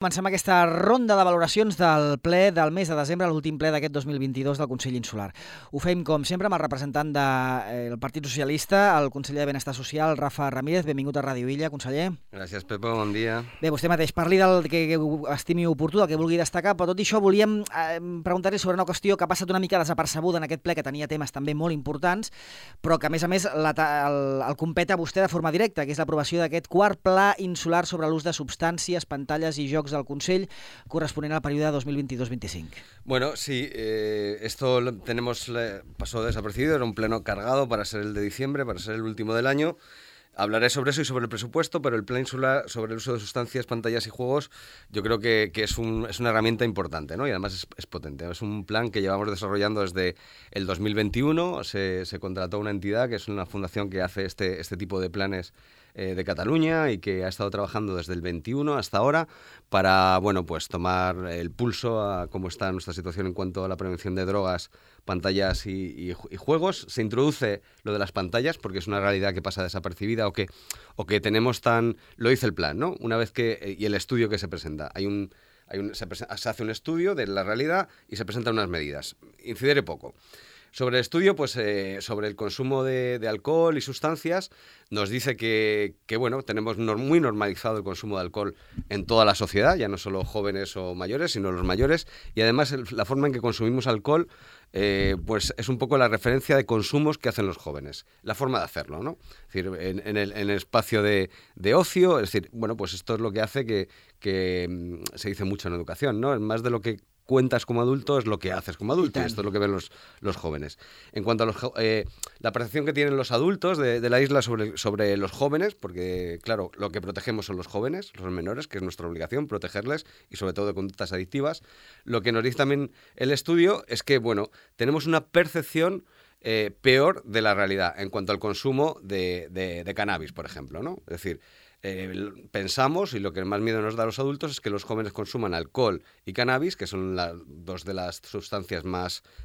Comencem aquesta ronda de valoracions del ple del mes de desembre, l'últim ple d'aquest 2022 del Consell Insular. Ho fem, com sempre, amb el representant del Partit Socialista, el conseller de Benestar Social, Rafa Ramírez. Benvingut a Ràdio Illa, conseller. Gràcies, Pepo, bon dia. Bé, vostè mateix parli del que estimi oportú, del que vulgui destacar, però tot i això volíem preguntar-li sobre una qüestió que ha passat una mica desapercebuda en aquest ple, que tenia temes també molt importants, però que, a més, el competa a vostè de forma directa, que és l'aprovació d'aquest quart pla insular sobre l'ús de substàncies, pantalles i jocs del Consell corresponent al període 2022-25. Bueno, sí, esto pasó desapercibido, era un pleno cargado para ser el de diciembre, para ser el último del año. Hablaré sobre eso y sobre el presupuesto, pero el plan insular sobre el uso de sustancias, pantallas y juegos, yo creo que es una herramienta importante, ¿no? Y además es potente. Es un plan que llevamos desarrollando desde el 2021. Se contrató una entidad que es una fundación que hace este tipo de planes de Cataluña y que ha estado trabajando desde el 21 hasta ahora para, bueno, pues tomar el pulso a cómo está nuestra situación en cuanto a la prevención de drogas, pantallas y juegos. Se introduce lo de las pantallas porque es una realidad que pasa desapercibida o que tenemos lo dice el plan, ¿no? Una vez y el estudio que se presenta. Se hace un estudio de la realidad y se presentan unas medidas. Incidiré poco. Sobre el estudio, pues sobre el consumo de alcohol y sustancias, nos dice que bueno, tenemos muy normalizado el consumo de alcohol en toda la sociedad, ya no solo jóvenes o mayores, sino los mayores, y además la forma en que consumimos alcohol pues es un poco la referencia de consumos que hacen los jóvenes, la forma de hacerlo, ¿no? Es decir, en el espacio de ocio, es decir, bueno, pues esto es lo que hace que se dice mucho en educación, ¿no? Más de lo que cuentas como adulto es lo que haces como adulto, y esto es lo que ven los jóvenes. En cuanto a la percepción que tienen los adultos de la isla sobre los jóvenes, porque claro, lo que protegemos son los jóvenes, los menores, que es nuestra obligación protegerles, y sobre todo de conductas adictivas. Lo que nos dice también el estudio es que, bueno, tenemos una percepción peor de la realidad en cuanto al consumo de cannabis, por ejemplo, ¿no? Es decir, pensamos, y lo que más miedo nos da a los adultos, es que los jóvenes consuman alcohol y cannabis, que son dos de las sustancias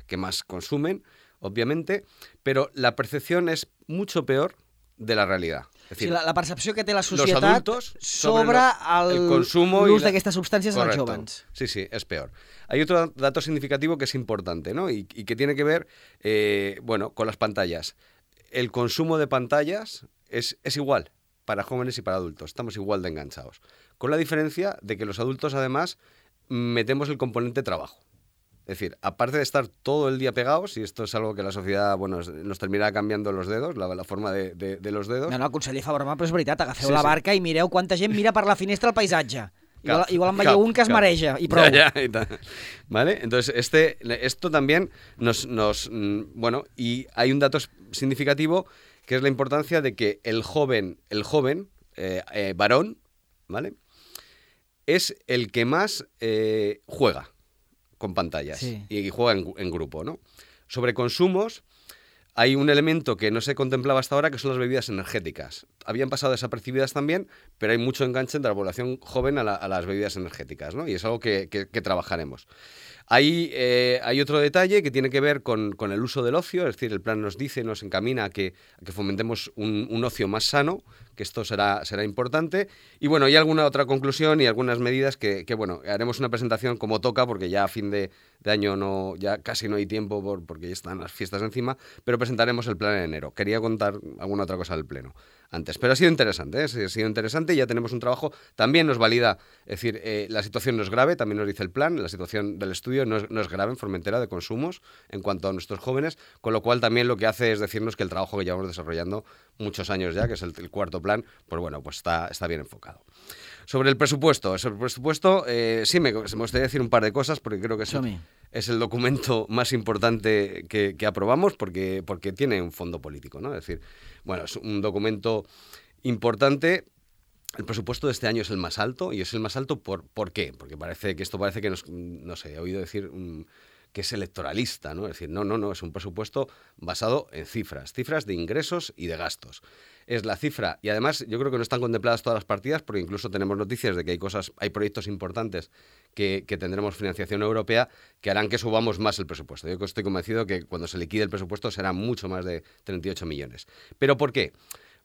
que más consumen, obviamente, pero la percepción es mucho peor de la realidad. Es decir, la percepció que té la societat sobre el consumo l'ús d'aquestes substàncies en els jóvenes. Sí, es peor. Hay otro dato significativo que es importante, ¿no? Y que tiene que ver bueno, con las pantallas. El consumo de pantallas es igual para jóvenes y para adultos. Estamos igual de enganchados. Con la diferencia de que los adultos, además, metemos el componente trabajo. Es decir, aparte de estar todo el día pegados, y esto es algo que la sociedad, bueno, nos terminarà cambiando los dedos, la forma de los dedos. No, conseller fa broma, però és veritat, agafeu la barca i mireu quanta gent mira per la finestra el paisatge. Igual en veieu un que es mareja, y prou. Ya, ¿vale? Entonces, esto también bueno, y hay un dato significativo que es la importancia de que el joven varón, ¿vale?, es el que más juega con pantallas, sí, y juega en grupo, ¿no? Sobre consumos, hay un elemento que no se contemplaba hasta ahora, que son las bebidas energéticas. Habían pasado desapercibidas también, pero hay mucho enganche entre la población joven a las bebidas energéticas, ¿no? Y es algo que trabajaremos. Hay otro detalle que tiene que ver con el uso del ocio, es decir, el plan nos encamina a que fomentemos un ocio más sano, que esto será importante. Y bueno, hay alguna otra conclusión y algunas medidas que bueno, haremos una presentación como toca, porque ya a fin de año ya casi no hay tiempo porque ya están las fiestas encima, pero presentaremos el plan en enero. Quería contar alguna otra cosa del pleno antes, pero ha sido interesante, ha sido interesante, y ya tenemos un trabajo, también nos valida, es decir, la situación no es grave, también nos dice el plan, la situación del estudio no es grave en Formentera de consumos en cuanto a nuestros jóvenes, con lo cual también lo que hace es decirnos que el trabajo que llevamos desarrollando muchos años ya, que es el cuarto plan, pues bueno, pues está bien enfocado. Sobre el presupuesto, sí me gustaría decir un par de cosas, porque creo que es el documento más importante que aprobamos, porque tiene un fondo político, ¿no? Es decir, bueno, es un documento importante. El presupuesto de este año es el más alto, y es el más alto ¿por qué? Porque parece que no sé, he oído decir que es electoralista, ¿no? Es decir, no, es un presupuesto basado en cifras de ingresos y de gastos. Es la cifra, y además yo creo que no están contempladas todas las partidas, porque incluso tenemos noticias de que hay proyectos importantes que tendremos financiación europea que harán que subamos más el presupuesto. Yo estoy convencido que cuando se liquide el presupuesto será mucho más de 38 millones. ¿Pero por qué?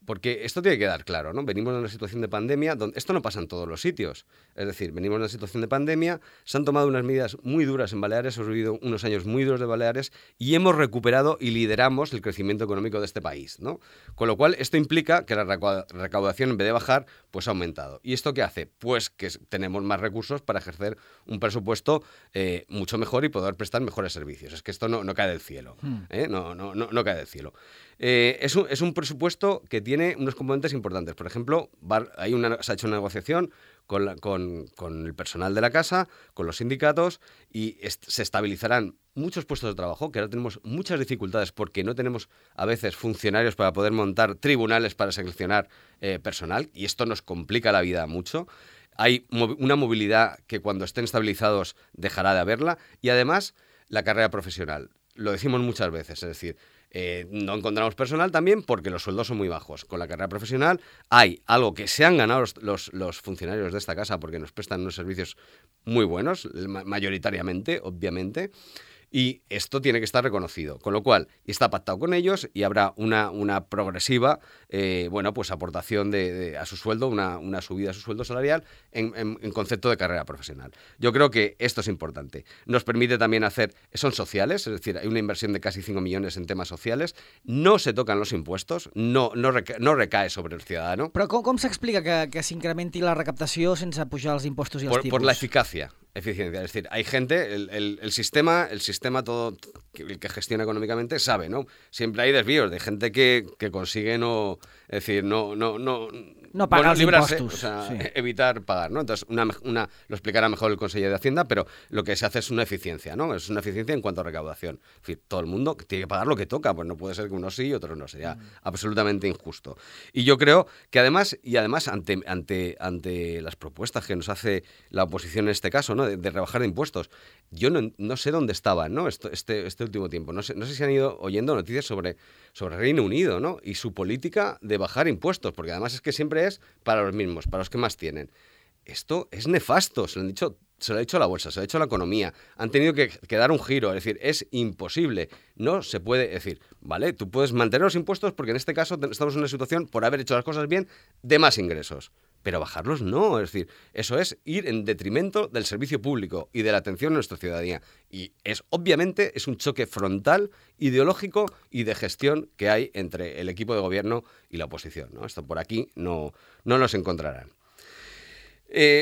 Porque esto tiene que quedar claro, ¿no? Venimos de una situación de pandemia donde esto no pasa en todos los sitios. Es decir, venimos de una situación de pandemia, se han tomado unas medidas muy duras en Baleares, hemos vivido unos años muy duros de Baleares y hemos recuperado y lideramos el crecimiento económico de este país, ¿no? Con lo cual, esto implica que la recaudación, en vez de bajar, pues ha aumentado. ¿Y esto qué hace? Pues que tenemos más recursos para ejercer un presupuesto mucho mejor y poder prestar mejores servicios. Es que esto no cae del cielo, no cae del cielo. Es un presupuesto que tiene unos componentes importantes. Por ejemplo, se ha hecho una negociación con el personal de la casa, con los sindicatos, y se estabilizarán muchos puestos de trabajo, que ahora tenemos muchas dificultades porque no tenemos a veces funcionarios para poder montar tribunales para seleccionar personal, y esto nos complica la vida mucho. Hay una movilidad que cuando estén estabilizados dejará de haberla, y además la carrera profesional. Lo decimos muchas veces, es decir, no encontramos personal también porque los sueldos son muy bajos. Con la carrera profesional hay algo que se han ganado los funcionarios de esta casa porque nos prestan unos servicios muy buenos, mayoritariamente, obviamente, y esto tiene que estar reconocido. Con lo cual, está pactado con ellos y habrá una progresiva pues aportación a su sueldo, una subida a su sueldo salarial en concepto de carrera profesional. Yo creo que esto es importante. Nos permite también son sociales, es decir, hay una inversión de casi 5 millones en temas sociales, no se tocan los impuestos, no recae sobre el ciudadano. Però com s'explica que s'incrementi la recaptació sense pujar els impostos i els tipus? Por la eficiencia. Es decir, hay gente, el sistema todo, el que gestiona económicamente sabe, ¿no? Siempre hay desvíos de gente que consigue no pagar los impuestos, o sea, sí. Evitar pagar, ¿no? Entonces, lo explicará mejor el consejero de Hacienda, pero lo que se hace es una eficiencia, ¿no? Es una eficiencia en cuanto a recaudación. Es decir, todo el mundo tiene que pagar lo que toca, pues no puede ser que unos sí y otros no, sería absolutamente injusto. Y yo creo que además ante las propuestas que nos hace la oposición en este caso, ¿no? De rebajar de impuestos, yo no sé dónde estaban, ¿no? Este último tiempo. No sé si han ido oyendo noticias sobre Reino Unido, ¿no? Y su política de bajar impuestos, porque además es que siempre es para los mismos, para los que más tienen. Esto es nefasto, se lo ha dicho a la bolsa, se lo ha dicho a la economía. Han tenido que dar un giro, es decir, es imposible. No se puede decir, ¿vale? Tú puedes mantener los impuestos porque en este caso estamos en una situación, por haber hecho las cosas bien, de más ingresos. Pero bajarlos no, es decir, eso es ir en detrimento del servicio público y de la atención a nuestra ciudadanía. Y obviamente es un choque frontal, ideológico y de gestión que hay entre el equipo de gobierno y la oposición, ¿no? Esto por aquí no nos encontrarán.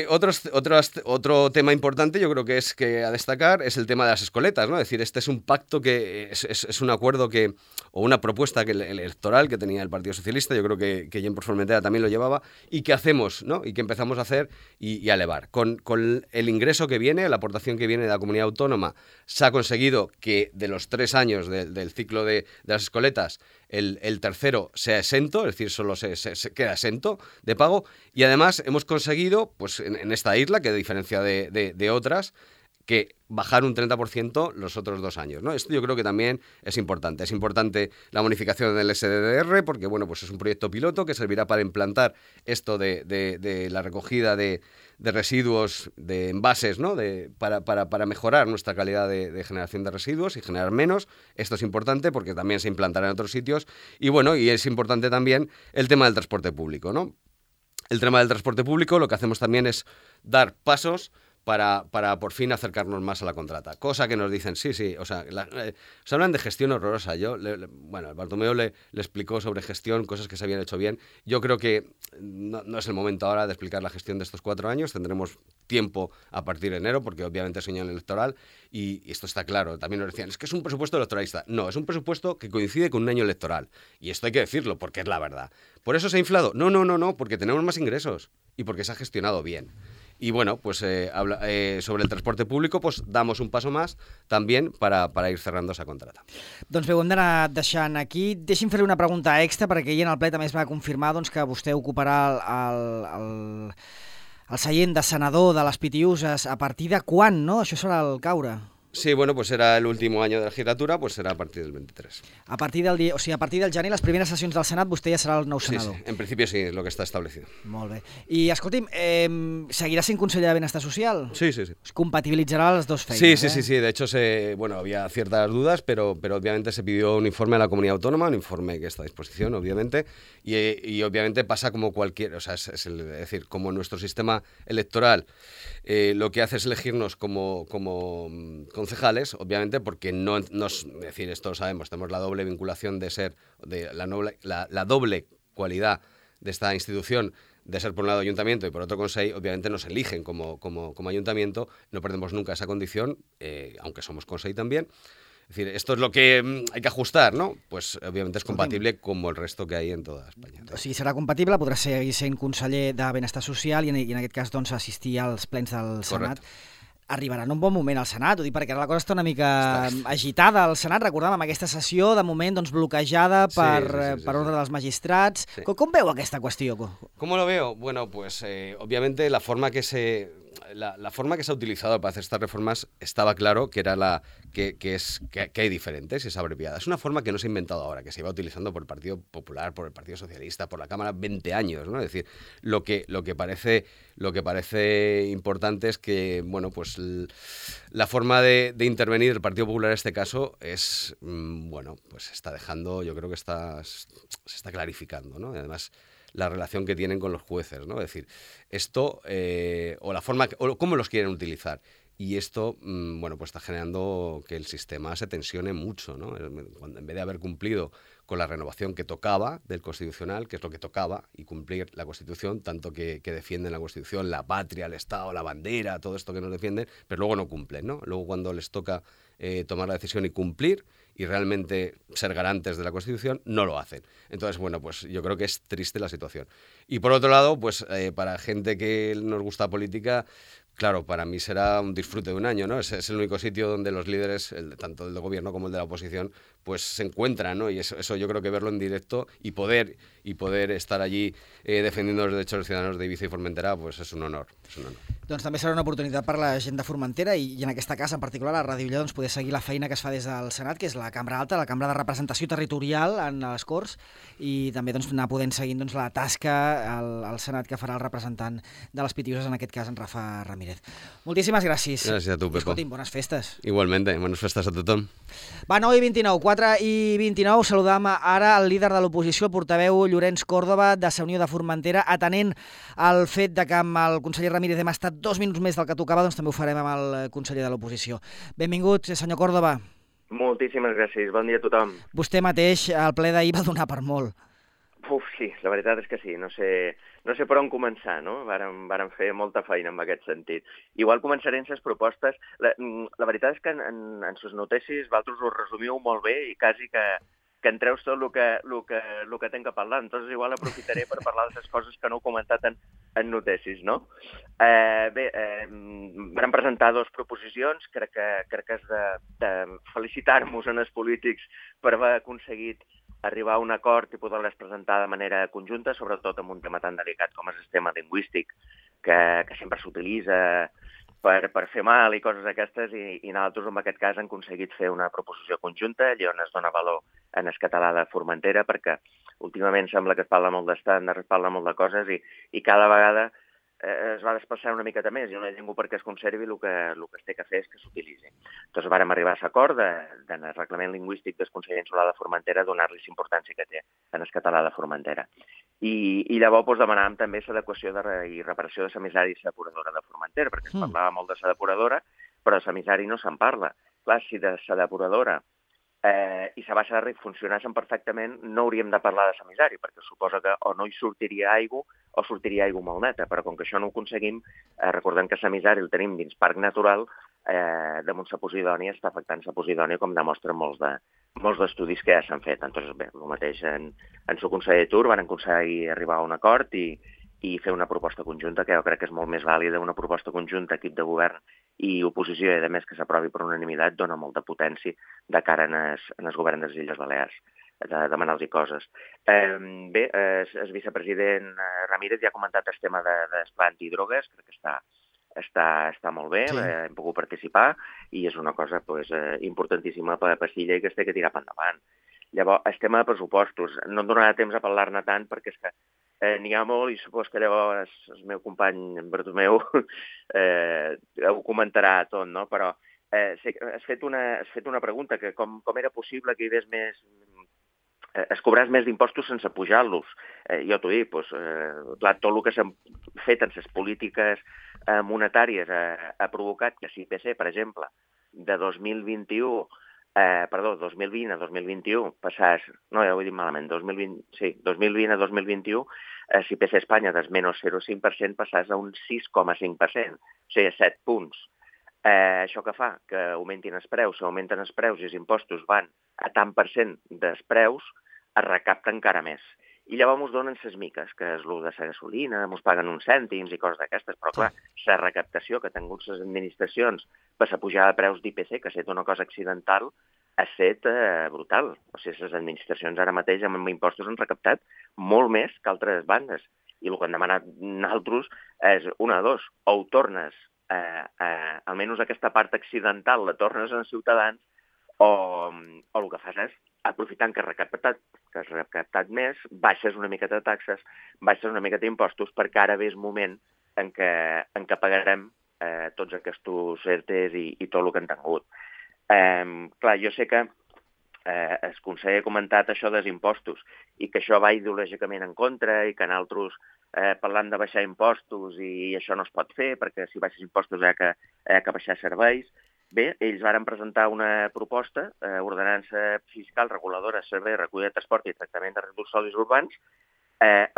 Otro tema importante, yo creo que a destacar, es el tema de las escoletas, ¿no? Es decir, este es un pacto es un acuerdo o una propuesta electoral que tenía el Partido Socialista, yo creo que Guillem por Formentera también lo llevaba, y que hacemos, ¿no? Y que empezamos a hacer y a elevar. Con el ingreso que viene, la aportación que viene de la comunidad autónoma, se ha conseguido que de los 3 años del ciclo de las escoletas, el tercero sea exento, es decir, solo se queda exento de pago, y además hemos conseguido, pues en esta isla, que a diferencia de otras, que bajar un 30% los otros 2 años, ¿no? Esto yo creo que también es importante. Es importante la bonificación del SDDR, porque bueno, pues es un proyecto piloto que servirá para implantar esto de la recogida de residuos, de envases, ¿no? Para mejorar nuestra calidad de generación de residuos y generar menos. Esto es importante porque también se implantará en otros sitios. Y bueno, y es importante también el tema del transporte público, ¿no? El tema del transporte público, lo que hacemos también es dar pasos para por fin acercarnos más a la contrata. Cosa que nos dicen, sí, o sea, se hablan de gestión horrorosa. Bueno, Bartomeu le explicó sobre gestión, cosas que se habían hecho bien. Yo creo que no es el momento ahora de explicar la gestión de estos 4 años. Tendremos tiempo a partir de enero, porque obviamente es un año electoral, y esto está claro. También nos decían, es que es un presupuesto electoralista. No, es un presupuesto que coincide con un año electoral. Y esto hay que decirlo, porque es la verdad. ¿Por eso se ha inflado? No, porque tenemos más ingresos y porque se ha gestionado bien. Y bueno, pues sobre el transporte público pues damos un paso más también para ir cerrando esa contrata. Doncs bé, ho hem d'anar deixant aquí. Deixi'm fer-li una pregunta extra, perquè ahir en el ple també es va confirmar que vostè ocuparà el seient de senador de les Pitiuses. A partir de quan, no? Això serà el caure. Sí, bueno, pues era el último año de la legislatura, pues será a partir del 23. A partir del dia, o sigui, a partir del gener, les primeres sessions del Senat, vostè ja serà el nou Sí, senador. sí, en principio sí, es lo que está establecido. Molt bé. I, escolti'm, seguirà sent conseller de Benestar Social? Sí, sí, sí. Es compatibilitzarà les dues feines, Sí, sí, sí, sí. De hecho, había ciertas dudas, pero obviamente se pidió un informe a la comunidad autónoma, un informe que está a disposición, obviamente, y obviamente pasa como cualquier, o sea, es decir, como nuestro sistema electoral lo que hace es elegirnos como concejales, obviamente, porque es decir, esto lo sabemos, tenemos la doble vinculación de ser, la doble cualidad de esta institución, de ser por un lado ayuntamiento y por otro consejo, obviamente nos eligen como ayuntamiento, no perdemos nunca esa condición, aunque somos consejo también. Es decir, esto es lo que hay que ajustar, ¿no? Pues obviamente es compatible como el resto que hay en toda Espanya. O sigui, serà compatible, podrà seguir sent conseller de Benestar Social i en aquest cas doncs, assistir als plens del Senat. Correcte. Arribarà en un bon moment al Senat, ho dic perquè ara la cosa està una mica agitada al Senat, recordàvem aquesta sessió, de moment doncs, bloquejada per ordre dels magistrats. Sí. Com veu aquesta qüestió? ¿Cómo lo veo? Bueno, pues obviamente la forma que se ha utilizado para hacer estas reformas estaba claro que era que hay diferentes, es abreviada. Es una forma que no se ha inventado ahora, que se iba utilizando por el Partido Popular, por el Partido Socialista, por la Cámara 20 años, ¿no? Es decir, lo que parece importante es que, bueno, pues la forma de intervenir el Partido Popular en este caso es, bueno, pues se está dejando, yo creo que se está clarificando, ¿no? Y además la relación que tienen con los jueces, ¿no? Es decir, esto, o la forma, o cómo los quieren utilizar. Y esto, bueno, pues está generando que el sistema se tensione mucho, ¿no? En vez de haber cumplido con la renovación que tocaba del Constitucional, que es lo que tocaba, y cumplir la Constitución, tanto que defienden la Constitución, la patria, el Estado, la bandera, todo esto que nos defienden, pero luego no cumplen, ¿no? Luego cuando les toca tomar la decisión y cumplir, y realmente ser garantes de la Constitución, no lo hacen. Entonces, bueno, pues yo creo que es triste la situación. Y por otro lado, pues para gente que nos gusta política, claro, para mí será un disfrute de un año, ¿no? Es el único sitio donde los líderes, tanto el del gobierno como el de la oposición, pues se encuentran, ¿no? Y eso yo creo que verlo en directo y poder estar allí defendiendo los derechos de los ciudadanos de Ibiza y Formentera, pues es un honor. Doncs també serà una oportunitat per la gent de Formentera i en aquesta casa, en particular, a Ràdio Illa, doncs, poder seguir la feina que es fa des del Senat, que és la Cambra Alta, la Cambra de Representació Territorial en les Corts, i també doncs, anar podent seguir doncs, la tasca al Senat que farà el representant de les Pitiuses, en aquest cas en Rafa Ramírez. Moltíssimes gràcies. Gràcies a tu, Pepo. Escolti'm, bones festes. Igualmente, bones festes a tothom. Va, 9:29, 4:29, saludam ara el líder de l'oposició, el portaveu Llorenç Còrdova, de Sa Unió de Formentera, atenent al fet de que amb el conseller Ramírez hem estat 2 minuts més del que tocava, doncs també ho farem amb el conseller de l'oposició. Benvingut, senyor Còrdova. Moltíssimes gràcies, bon dia a tothom. Vostè mateix, al ple d'ahir, va donar per molt. Sí, la veritat és que sí, no sé per on començar, no? Vàrem fer molta feina en aquest sentit. Igual començaré amb les propostes. La veritat és que en sus notícies vosaltres ho resumiu molt bé i quasi que entreus tot el que tenc que parlar. Entonces igual aprofitaré per parlar de les coses que no heu comentat en notícies, no? Vam presentar 2 proposicions, crec que és de felicitar-nos en els polítics per haver aconseguit arribar a un acord i poder-les presentar de manera conjunta, sobretot en un tema tan delicat com és el tema lingüístic, que sempre s'utilitza per fer mal i coses aquestes, i nosaltres en aquest cas hem aconseguit fer una proposició conjunta, allà on es dona valor en el català de Formentera, perquè últimament sembla que es parla molt d'estàndards, es parla molt de coses, i cada vegada es va desplaçar una miqueta més, i una llengua perquè es conservi el que es té que fer és que s'utilitzi. Doncs vàrem arribar a l'acord en el reglament lingüístic del Consell Insular de Formentera donar-li la importància que té en el català de Formentera. I llavors demanàvem també l'adequació i reparació de l'emissari i la depuradora de Formentera, perquè es parlava molt de la depuradora, però de l'emissari no se'n parla. Clar, si de la depuradora i la baixa de ric funcionessin perfectament, no hauríem de parlar de l'emissari, perquè suposa que o no hi sortiria aigua o sortiria aigua molt neta, però com que això no ho aconseguim, recordem que l'emissari el tenim dins parc natural, damunt la Posidònia està afectant la Posidònia, com demostren molts d'estudis que ja s'han fet. Entonces, bé, el mateix en el conseller Tur van aconseguir arribar a un acord i fer una proposta conjunta, que jo crec que és molt més vàlida. Una proposta conjunta, equip de govern i oposició, i a més que s'aprovi per unanimitat, dona molta potència de cara en el govern de les Illes Balears, de demanar-los coses. Bé, el vicepresident Ramírez ja ha comentat el tema d'esplant i drogues, crec que està està molt bé, hem pogut participar i és una cosa importantíssima per a Pastilla i que es té que tirar per endavant. Llavors, el tema de pressupostos, no em donarà temps a parlar-ne tant perquè és que n'hi ha molt i supos que llavors el meu company Bartomeu ho comentarà tot, no? Però has fet una pregunta que com era possible que hi hagués més... es cobràs més d'impostos sense pujar-los. Jo t'ho dic, clar, tot el que s'ha fet en les polítiques monetàries ha provocat que l'IPC, per exemple, de 2020 a 2021 passàs, no, ja ho he dit malament, 2020 a 2021, l'IPC a Espanya del menys 0,5% passàs a un 6,5%, o sigui, 7 punts. Això que fa? Que augmentin els preus. Si augmenten els preus i els impostos van a tant per cent dels preus, es recapta encara més. I llavors ens donen ses miques, que és el de la gasolina, ens paguen uns cèntims i coses d'aquestes, però clar, la recaptació que han tingut les administracions per la pujada de preus d'IPC, que ha estat una cosa accidental, ha estat brutal. O sigui, les administracions ara mateix amb impostos han recaptat molt més que altres bandes. I el que han demanat nosaltres és una de dos, o ho tornes, almenys aquesta part accidental la tornes als ciutadans, o el que fas és, aprofitant que has recaptat més, baixes una miqueta de taxes, baixes una miqueta d'impostos, perquè ara ve el moment en què pagarem tots aquests ERTEs i tot el que han tingut. Clar, jo sé que el conseller ha comentat això dels impostos i que això va ideològicament en contra i que nosaltres parlant de baixar impostos i això no es pot fer perquè si baixes impostos hi ha que baixar serveis. Bé, ells varen presentar una proposta, ordenança fiscal reguladora, servei, recollida de transport i tractament de residus sòlids urbans,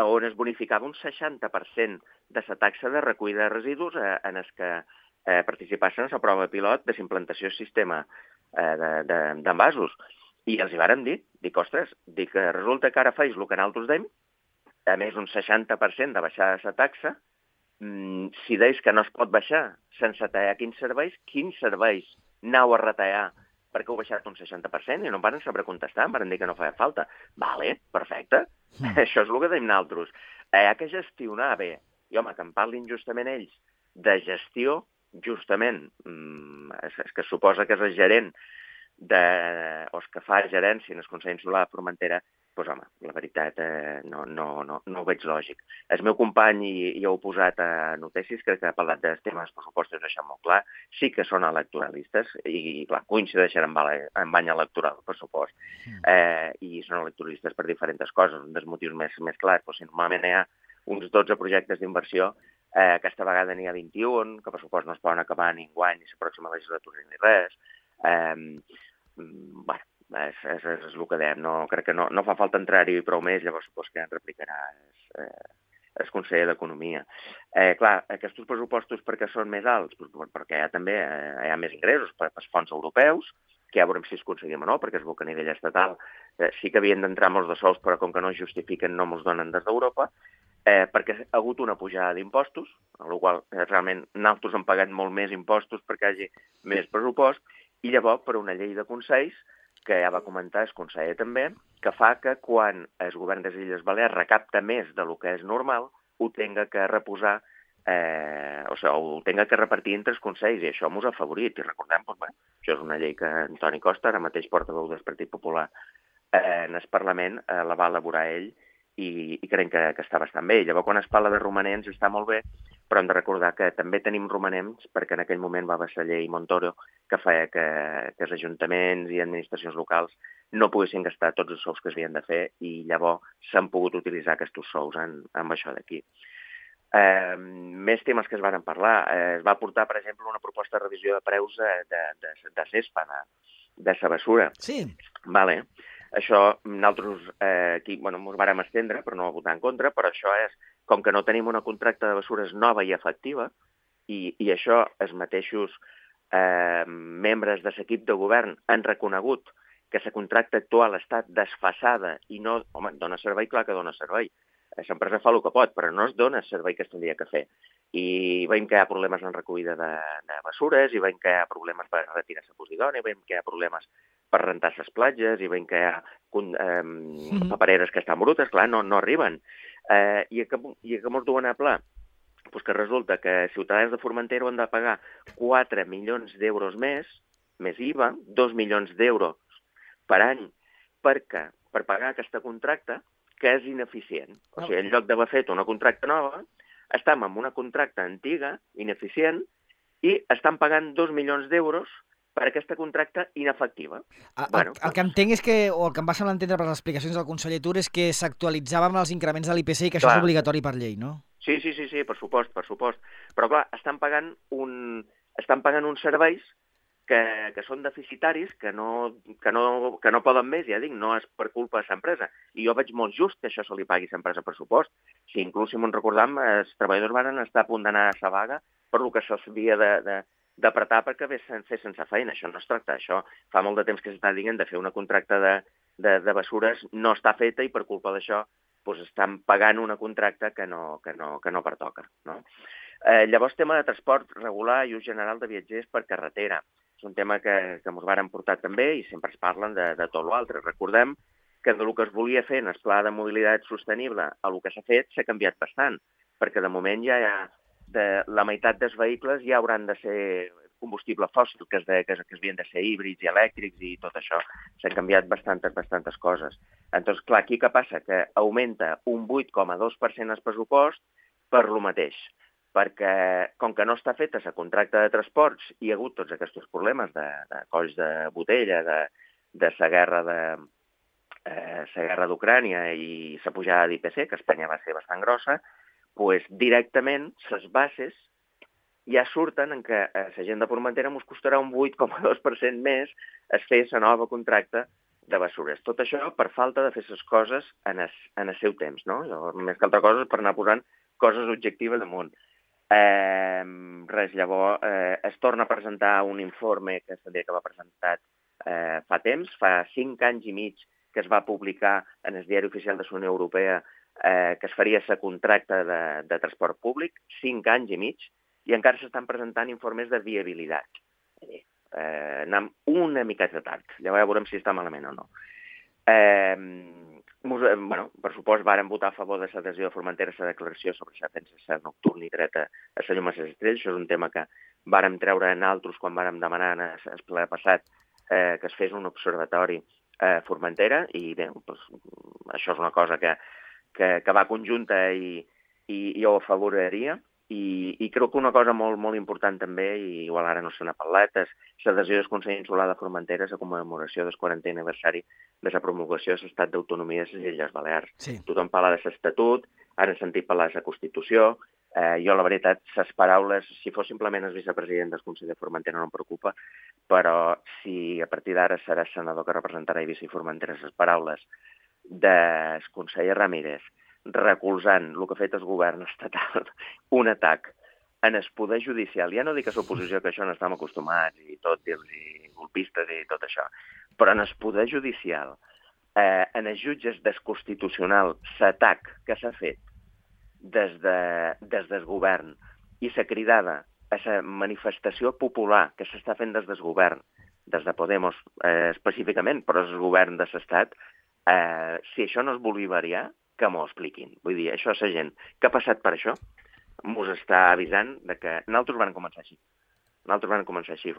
on es bonificava un 60% de la taxa de recollida de residus en els que participassen a la prova pilot de s'implantació del sistema d'envasos. I els hi vàrem dir que, ostres, resulta que ara feis el que nosaltres dèiem, a més un 60% de baixar la taxa, si deis que no es pot baixar sense tallar quins serveis aneu a retallar perquè heu baixat un 60% i no em van saber contestar, em van dir que no feia falta. Vale, perfecte, això és el que deim nosaltres. Hi ha que gestionar bé. I home, que em parlin justament ells de gestió, justament, és que suposa que és el gerent o el que fa gerència en el Consell Insular de Formentera, doncs home, la veritat no ho veig lògic. El meu company ja ho ha posat a notícies, crec que ha parlat dels temes pressupostos, deixant molt clar, sí que són electoralistes i clar, coincideixen en bany electoral, per supost, i són electoralistes per diferents coses. Un dels motius més clars, si normalment hi ha uns 12 projectes d'inversió, aquesta vegada n'hi ha 21, que per supost no es poden acabar ni enguany, ni la pròxima legislatura ni res. Bueno, és el que dèiem, crec que no fa falta entrar-hi prou més, llavors supos que en replicarà el conseller d'Economia. Clar, aquests pressupostos per què són més alts? Perquè també hi ha més ingressos pels fons europeus, que ja veurem si es aconseguim o no, perquè es veu que a nivell estatal sí que havien d'entrar molts de sous, però com que no es justifiquen no ens donen des d'Europa, perquè ha hagut una pujada d'impostos, amb la qual realment nosaltres hem pagat molt més impostos perquè hi hagi més pressupost, i llavors per una llei de consells, que ja va comentar el conseller també, que fa que quan el govern de les Illes Balears recapta més del que és normal, ho tenga que reposar, ho tenga que repartir entre els consells, i això ens ha afavorit. I recordem, això és una llei que Antoni Costa, ara mateix portaveu del Partit Popular en el Parlament, la va elaborar ell, i crec que està bastant bé. Llavors, quan es parla de romanents, està molt bé, però hem de recordar que també tenim romanents, perquè en aquell moment va haver la llei Montoro, que feia que els ajuntaments i administracions locals no poguessin gastar tots els sous que s'havien de fer, i llavors s'han pogut utilitzar aquests sous amb això d'aquí. Més temes que es van parlar. Es va portar, per exemple, una proposta de revisió de preus de CESPA, de la bessura. Sí. Vale. Això, nosaltres aquí ens vàrem estendre, però no votar en contra, però això és, com que no tenim una contracta de bessures nova i efectiva, i això els mateixos membres de l'equip de govern han reconegut que la contracta actual està desfasada i no, dona servei, clar que dona servei. L'empresa fa el que pot, però no es dona el servei que s'hauria que fer. I veiem que hi ha problemes en recollida de bessures, i veiem que hi ha problemes per retirar la posidònia, i veiem que hi ha problemes per rentar les platges, i veiem que hi ha papereres que estan brutes, clar, no arriben. I que mos duen a pla Doncs que resulta que Ciutadans de Formentera han de pagar 4 milions d'euros més IVA, 2 milions d'euros per any, per pagar aquesta contracta, que és ineficient. O sigui, en lloc d'haver fet una contracta nova, estem amb una contracta antiga, ineficient, i estan pagant 2 milions d'euros per aquesta contracta inefectiva. El que entenc és que, o el que em va semblar entendre per les explicacions del conseller Tur, és que s'actualitzava amb els increments de l'IPC i que això és obligatori per llei, no? Sí, per supost. Però clar, estan pagant uns serveis que són deficitaris, que no poden més, ja dic, no és per culpa de l'empresa. I jo veig molt just que això se li pagui a l'empresa per supost. Si inclús, si m'ho recordam, els treballadors van estar a punt d'anar a la vaga per el que s'havia d'apretar perquè fessin sense feina. Això no es tracta d'això. Fa molt de temps que s'està dient de fer una contracta de bessures, no està feta i per culpa d'això doncs estan pagant una contracta que no pertoca. No? Llavors, tema de transport regular i ús general de viatgers per carretera. És un tema que ens varen portar també i sempre es parlen de tot l'altre. Recordem que del que es volia fer en el pla de mobilitat sostenible a el que s'ha fet s'ha canviat bastant, perquè de moment ja la meitat dels vehicles ja hauran de ser combustible fòssil, que havien de ser híbrids i elèctrics i tot això. S'han canviat bastantes coses. Entonces, clar, aquí què passa? Que augmenta un 8,2% el pressupost per lo mateix, perquè com que no està feta la contracta de transports hi ha hagut tots aquests problemes de colls de botella, de la guerra d'Ucrània i la pujada d'IPC, que a Espanya va ser bastant grossa, doncs directament les bases ja surten en què a la gent de Formentera ens costarà un 8,2% més es fer la nova contracta de bessures. Tot això per falta de fer les coses en el seu temps, no? Més que altra cosa és per anar posant coses objectives damunt. Llavors es torna a presentar un informe que va presentat fa temps, fa 5 anys i mig que es va publicar en el Diari Oficial de la Unió Europea que es faria la contracta de transport públic, 5 anys i mig, i encara s'estan presentant informes de viabilitat. Anem una miqueta tard, llavors ja veurem si està malament o no. Per supost, vàrem votar a favor de l'adhesió de Formentera a la declaració sobre la defensa nocturna i dreta a la llum a les estrelles. Això és un tema que vàrem treure en altres quan vàrem demanar en el ple passat que es fes un observatori a Formentera, i bé, això és una cosa que va conjunta i jo ho afavoraria. I crec que una cosa molt important també, i igual ara no se n'ha parlat, és l'adhesió del Consell Insular de Formentera a la commemoració del 40è aniversari de la promulgació de l'Estat d'Autonomia de les Illes Balears. Sí. Tothom parla de l'Estatut, ara hem sentit parlar de la Constitució. Jo, la veritat, les paraules, si fos simplement el vicepresident del Consell de Formentera no em preocupa, però si a partir d'ara serà senador que representarà Eivissa i Formentera, les paraules del conseller Ramírez recolzant el que ha fet el govern estatal, un atac en el poder judicial. Ja no dic a l'oposició, que això no estem acostumats, i tot, i golpistes i tot això, però en el poder judicial, en els jutges del Constitucional, l'atac que s'ha fet des del govern i la cridada a la manifestació popular que s'està fent des del govern, des de Podemos específicament, però és el govern de l'Estat, si això no es bolivarià, que m'ho expliquin. Vull dir, això és la gent que ha passat per això, mos està avisant de que nosaltres van començar així.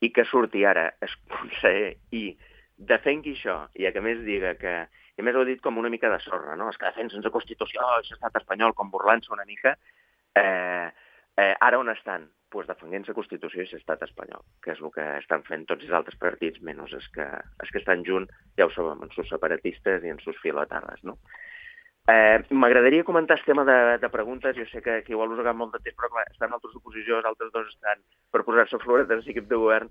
I que surti ara el conseller i defengui això, i que a més diga que... I a més ho ha dit com una mica de sorra, no? És que defensen la Constitució i l'estat espanyol, com burlant-se una mica. Ara on estan? Doncs defendent la Constitució i l'estat espanyol, que és el que estan fent tots els altres partits, menys els que estan junts, ja ho sabem, en sus separatistes i en sus filotarres, no? M'agradaria comentar el tema de preguntes. Jo sé que igual us ha agafat molt de temps, però clar, estan altres oposicions, altres dos estan per posar-se floretes a l'equip de govern.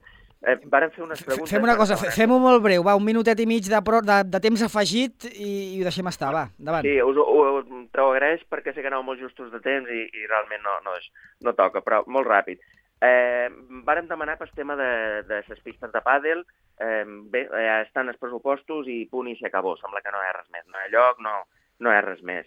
Varen fer unes preguntes... Fem una cosa, fem-ho molt breu, va, un minutet i mig de temps afegit i ho deixem estar, va, endavant. Sí, t'ho agraeix perquè sé que aneu molt justos de temps i realment no toca, però molt ràpid. Vàrem demanar pel tema de les pistes de pàdel. Bé, estan els pressupostos i punt i s'acabó. Sembla que no hi ha res més, no hi ha lloc, no hi ha res més.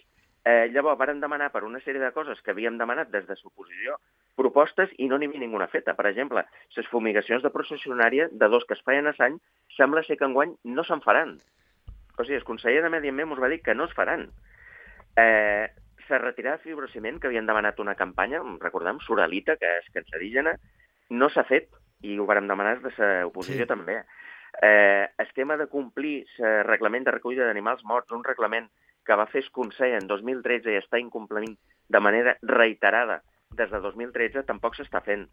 Llavors, vàrem demanar per una sèrie de coses que havíem demanat des de l'oposició propostes i no n'hi havia ninguna feta. Per exemple, les fumigacions de processionària de 2 que es feien a l'any sembla ser que enguany no se'n faran. O sigui, el conseller de Medi Ambient ens va dir que no es faran. la retirada de fibrociment, que havien demanat una campanya, recordem, Suralita, que és cancerígena, no s'ha fet, i ho vàrem demanar des de l'oposició també. El tema de complir el reglament de recollida d'animals morts, un reglament que va fer el Consell en 2013 i està incomplint de manera reiterada des de 2013, tampoc s'està fent.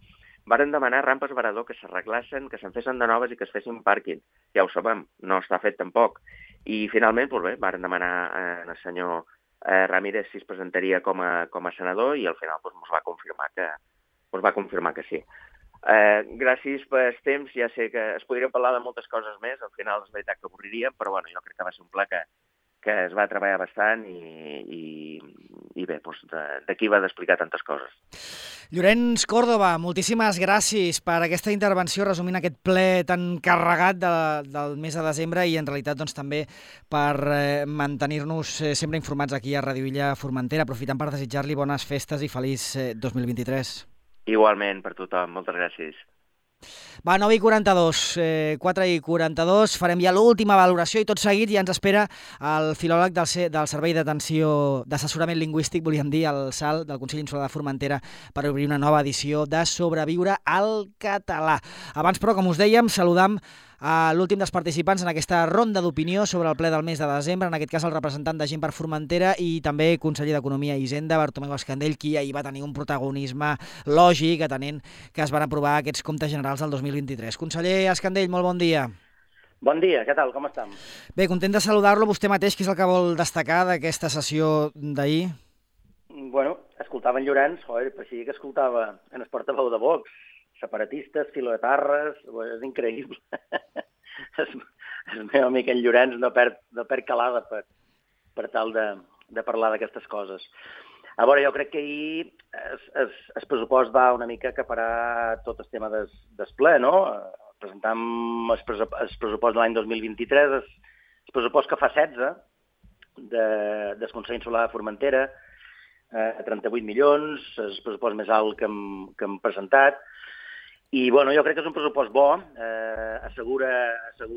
Varen demanar rampes varador que s'arreglassin, que se'n fessin de noves i que es fessin pàrquing. Ja ho sabem, no està fet tampoc. I finalment, doncs bé, varen demanar al senyor Ramírez si es presentaria com a senador i al final ens va confirmar que sí. Gràcies pel temps, ja sé que es podria parlar de moltes coses més, al final és veritat que avorriríem, però bueno, jo crec que va ser un pla que es va treballar bastant i bé, doncs d'aquí va d'explicar tantes coses. Llorenç Córdoba, moltíssimes gràcies per aquesta intervenció resumint aquest ple tan carregat del mes de desembre i en realitat doncs, també per mantenir-nos sempre informats aquí a Radio Illa Formentera, aprofitant per desitjar-li bones festes i feliç 2023. Igualment per tothom, moltes gràcies. Va, 9:42, 4:42, farem ja l'última valoració i tot seguit ja ens espera el filòleg del Servei d'Assessorament Lingüístic, volíem dir, el SAL, del Consell Insular de Formentera, per obrir una nova edició de Sobreviure al català. Abans, però, com us dèiem, saludam a l'últim dels participants en aquesta ronda d'opinió sobre el ple del mes de desembre, en aquest cas el representant de Gent per Formentera i també conseller d'Economia i Hisenda, Bartomeu Escandell, qui ahir va tenir un protagonisme lògic, atenent que es van aprovar aquests comptes generals del 2023. Conseller Escandell, molt bon dia. Bon dia, què tal, com estem? Bé, content de saludar-lo. Vostè mateix, què és el que vol destacar d'aquesta sessió d'ahir? Bueno, escoltava en Llorenç, parecia que escoltava en el portaveu de Vox, separatistes, filoetarres, és increïble. El meu amic en Llorenç no perd calada per tal de parlar d'aquestes coses. A veure, jo crec que ahir el pressupost va una mica acaparar tot el tema del ple, no? Presentam el pressupost de l'any 2023, el pressupost que fa 16 del Consell Insular de Formentera, 38 milions, el pressupost més alt que hem presentat. I bueno, jo crec que és un pressupost bo, assegura el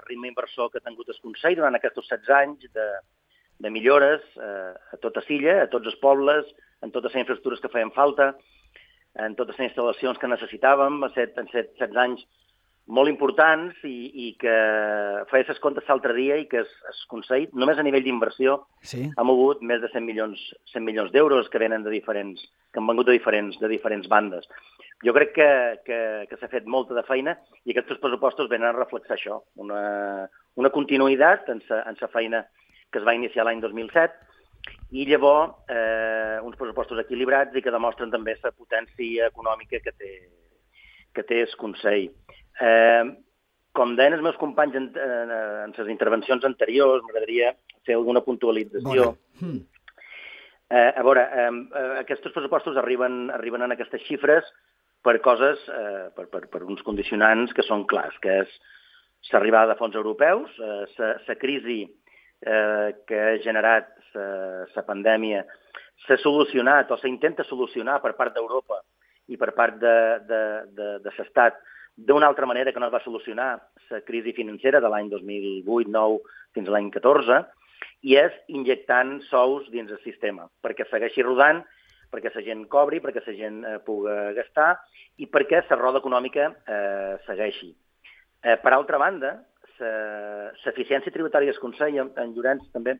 ritme inversor que ha tingut el Consell durant aquests 16 anys de millores a tota Silla, a tots els pobles, en totes les infraestructures que feien falta, en totes les instal·lacions que necessitàvem. Han set 16 anys molt importants i que feia els comptes l'altre dia i que el Consell, només a nivell d'inversió, ha mogut més de 100 milions d'euros que venen que han vengut de diferents bandes. Jo crec que s'ha fet molta de feina i aquests pressupostos venen a reflexar això, una continuïtat en la feina que es va iniciar l'any 2007 i llavors uns pressupostos equilibrats i que demostren també la potència econòmica que té el Consell. Com deien els meus companys en les intervencions anteriors, m'agradaria fer alguna puntualització. A veure, aquests pressupostos arriben en aquestes xifres per coses, per uns condicionants que són clars, que és l'arribada de fons europeus, la crisi que ha generat la pandèmia, s'ha solucionat o s'intenta solucionar per part d'Europa i per part de l'Estat d'una altra manera que no es va solucionar la crisi financera de l'any 2008-2009 fins a l'any 2014, i és injectant sous dins el sistema, perquè segueixi rodant, perquè la gent cobri, perquè la gent pugui gastar i perquè la roda econòmica segueixi. Per altra banda, l'eficiència tributària del Consell, en Llorenç també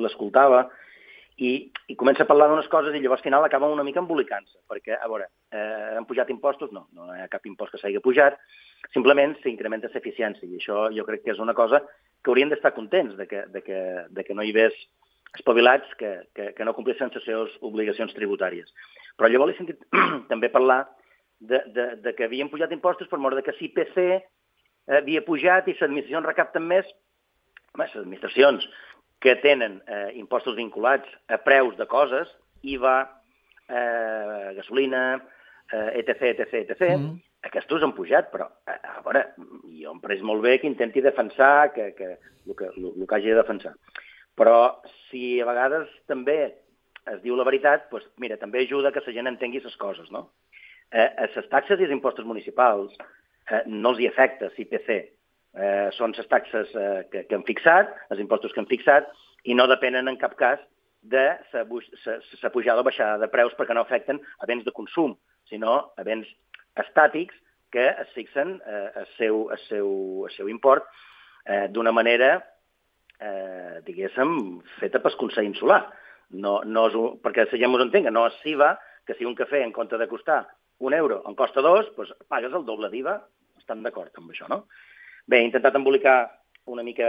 l'escoltava, i comença a parlar d'unes coses i llavors al final acaba una mica embolicant-se, perquè, a veure, han pujat impostos? No hi ha cap impost que s'hagi pujat, simplement s'incrementa l'eficiència, i això jo crec que és una cosa que haurien d'estar contents, de que no hi hagués espavilats que no complissin les seves obligacions tributàries. Però llavors he sentit també parlar de que havien pujat impostos per mort de que l'IPC havia pujat i les administracions recapten més. Les administracions que tenen impostos vinculats a preus de coses, IVA, gasolina, etc. Aquests han pujat, però a veure, jo em pareix molt bé que intenti defensar el que hagi de defensar. Però si a vegades també es diu la veritat, doncs mira, també ajuda que la gent entengui les coses, no? A les taxes i els impostos municipals no els hi afecta l'IPC. Són les taxes que han fixat, els impostos que han fixat, i no depenen en cap cas de la pujada o baixada de preus perquè no afecten a béns de consum, sinó a béns estàtics que es fixen el seu import d'una manera, diguéssim, feta pel Consell Insular. No és perquè la gent ens entengui, no és SIVA, que si un cafè en compte de costar €1 en costa 2, doncs pagues el doble d'IVA. Estan d'acord amb això, no? Bé, he intentat embolicar una mica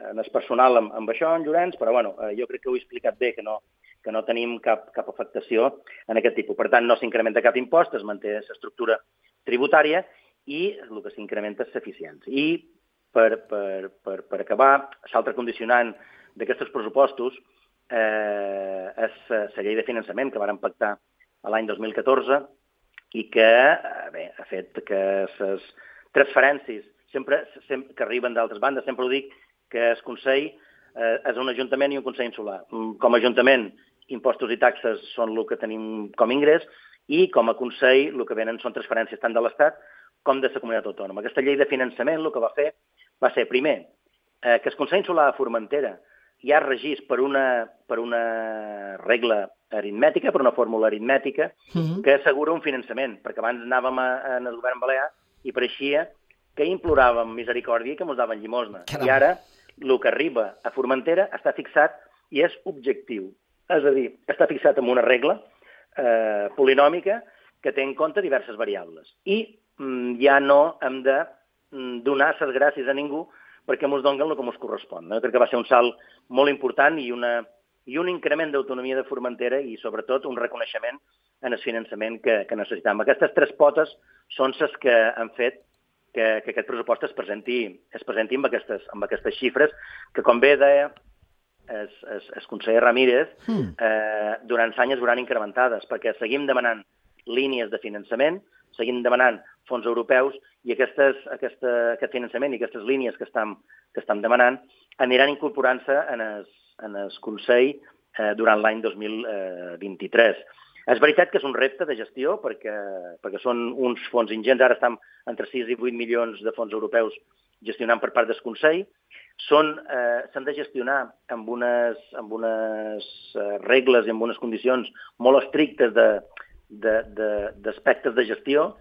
en el personal amb això, en Llorenç, però bueno, jo crec que ho he explicat bé, que no tenim cap afectació en aquest tipus. Per tant, no s'incrementa cap impost, es manté l'estructura tributària i el que s'incrementa és l'eficiència. I per acabar, l'altre condicionant d'aquests pressupostos és la llei de finançament que vàrem pactar l'any 2014 i que ha fet que les transferències que arriben d'altres bandes, sempre ho dic, que el Consell és un ajuntament i un Consell Insular. Com a ajuntament, impostos i taxes són el que tenim com a ingrés i com a Consell el que venen són transferències tant de l'Estat com de la comunitat autònoma. Aquesta llei de finançament el que va fer va ser, primer, que el Consell Insular de Formentera ja regís per una regla aritmètica, per una fórmula aritmètica, que assegura un finançament, perquè abans anàvem en el govern balear i pareixia que imploràvem misericòrdia i que ens daven llimosna. I ara el que arriba a Formentera està fixat i és objectiu. És a dir, està fixat en una regla polinòmica que té en compte diverses variables. I ja no hem de donar les gràcies a ningú perquè ens donen el que ens correspon. Crec que va ser un salt molt important i un increment d'autonomia de Formentera i, sobretot, un reconeixement en el finançament que necessitem. Aquestes tres potes són les que han fet que aquest pressupost es presenti amb aquestes xifres que, com bé deia el conseller Ramírez, durant l'any es veuran incrementades, perquè seguim demanant línies de finançament, seguim demanant fons europeus i aquest finançament i aquestes línies que estem demanant aniran incorporant-se en el Consell durant l'any 2023. És veritat que és un repte de gestió perquè són uns fons ingents, ara estem entre 6 i 8 milions de fons europeus gestionant per part del Consell. S'han de gestionar amb unes regles i amb unes condicions molt estrictes d'aspectes de gestió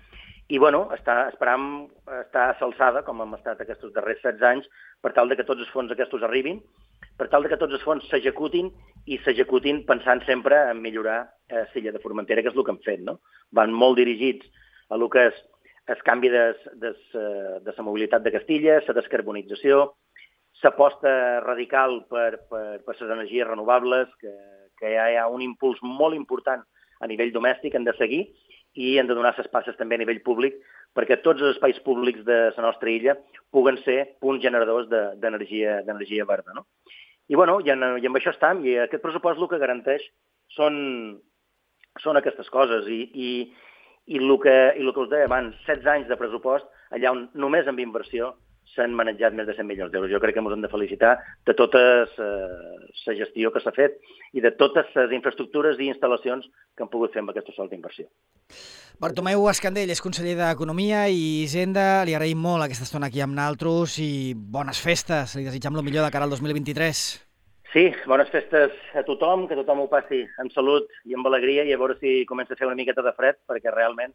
i, bueno, esperam estar a l'alçada, com hem estat aquests darrers 16 anys, per tal que tots els fons aquests arribin, per tal que tots els fons s'executin i s'executin pensant sempre en millorar l'illa de Formentera, que és el que hem fet, no? Van molt dirigits a el que és el canvi de la mobilitat de Castilla, la descarbonització, l'aposta radical per les energies renovables, que hi ha un impuls molt important a nivell domèstic, hem de seguir i hem de donar les passes també a nivell públic perquè tots els espais públics de la nostra illa puguen ser punts generadors d'energia verda, no? I, bueno, i amb això estem, i aquest pressupost el que garanteix són aquestes coses, i el que us deia abans, 16 anys de pressupost, allà on només amb inversió s'han manejat més de 100 milions d'euros. Jo crec que ens hem de felicitar de tota la gestió que s'ha fet i de totes les infraestructures i instal·lacions que han pogut fer amb aquesta sola inversió. Bartomeu Escandell és conseller d'Economia i Hisenda. Li agraïm molt aquesta estona aquí amb nosaltres i bones festes. Li desitjam el millor de cara al 2023. Sí, bones festes a tothom, que tothom ho passi amb salut i amb alegria i a veure si comença a fer una miqueta de fred, perquè realment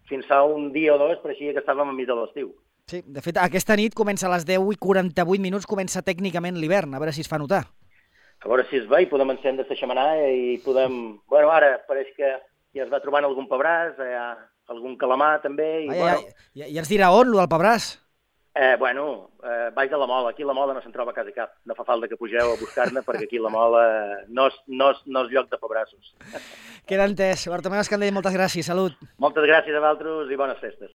fins fa un dia o dos pareixia que estàvem enmig de l'estiu. Sí, de fet, aquesta nit comença a les 10:48, comença tècnicament l'hivern, a veure si es fa notar. A veure si es va i podem encendre la xemenaia i podem... Bueno, ara pareix que ja es va trobant algun pebràs, algun calamar també. Ja ens dirà on, del pebràs? Baix de la Mola. Aquí la Mola no se'n troba quasi cap. No fa falta que pugeu a buscar-ne perquè aquí la Mola no és lloc de pebrassos. Queda entès. Bartomeu Escandell, moltes gràcies. Salut. Moltes gràcies a vosaltres i bones festes.